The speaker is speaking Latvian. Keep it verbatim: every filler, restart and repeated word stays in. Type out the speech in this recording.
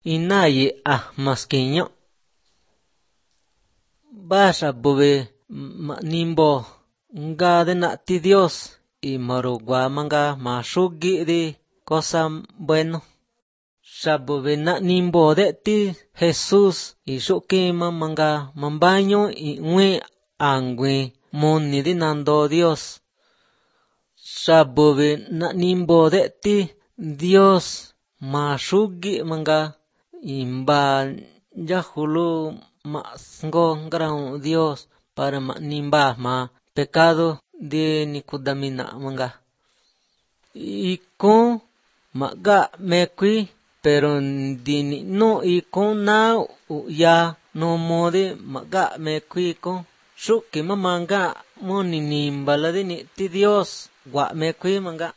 inaye a masquiño basha bube ma nimbo nga de na ti Dios y marugua manga mashugi de cosa bueno shabube na nimbo de ti Jesús y shukima manga mambaño y ngwe angwe moni de nando Dios shabube na nimbo de ti Dios mashugi manga imba yahulu masngo ngrao Dios para ma nimba ma pecado de Nicodamina manga y con maga mekwi pero dini no y con na ya no mode maga mekwi con shuki mamanga moni nimba la de ni ti Dios gua mekwi manga